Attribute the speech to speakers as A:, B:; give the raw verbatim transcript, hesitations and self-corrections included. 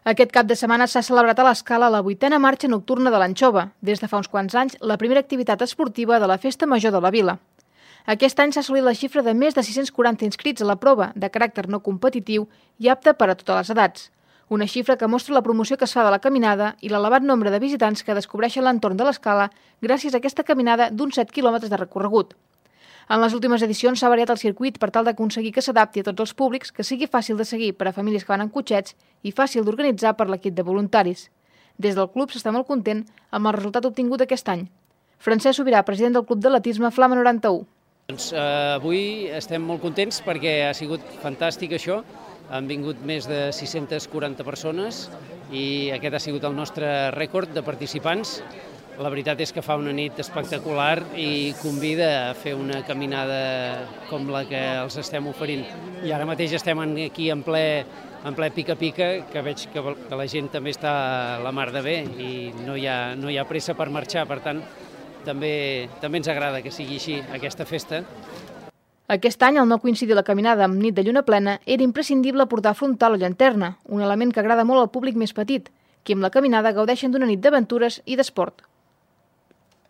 A: Aquest cap de setmana s'ha celebrat a l'Escala la vuitena marxa nocturna de l'Anxova, des de fa uns quants anys la primera activitat esportiva de la Festa Major de la Vila. Aquest any s'ha assolit la xifra de més de sis-cents quaranta inscrits a la prova, de caràcter no competitiu i apta per a totes les edats. Una xifra que mostra la promoció que es fa de la caminada i l'elevat nombre de visitants que descobreixen l'entorn de l'Escala gràcies a aquesta caminada d'uns set quilòmetres de recorregut. En les últimes edicions s'ha variat el circuit per tal d'aconseguir que s'adapti a tots els públics, que sigui fàcil de seguir per a famílies que van en cotxets i fàcil d'organitzar per l'equip de voluntaris. Des del club s'està molt content amb el resultat obtingut aquest any. Francesc Sobirà, president del Club d'Atletisme Flama noranta-u.
B: Doncs, eh, avui estem molt contents perquè ha sigut fantàstic això. Han vingut més de sis-centes quaranta persones i aquest ha sigut el nostre rècord de participants. La veritat és que fa una nit espectacular i convida a fer una caminada com la que els estem oferint. I ara mateix estem aquí en ple, en ple pica-pica, que veig que, que la gent també està a la mar de bé i no hi ha, no hi ha pressa per marxar, per tant, també, també ens agrada que sigui així aquesta festa.
A: Aquest any, al no coincidir la caminada amb nit de lluna plena, era imprescindible portar frontal o llanterna, un element que agrada molt al públic més petit, que amb la caminada gaudeixen d'una nit d'aventures i d'esport.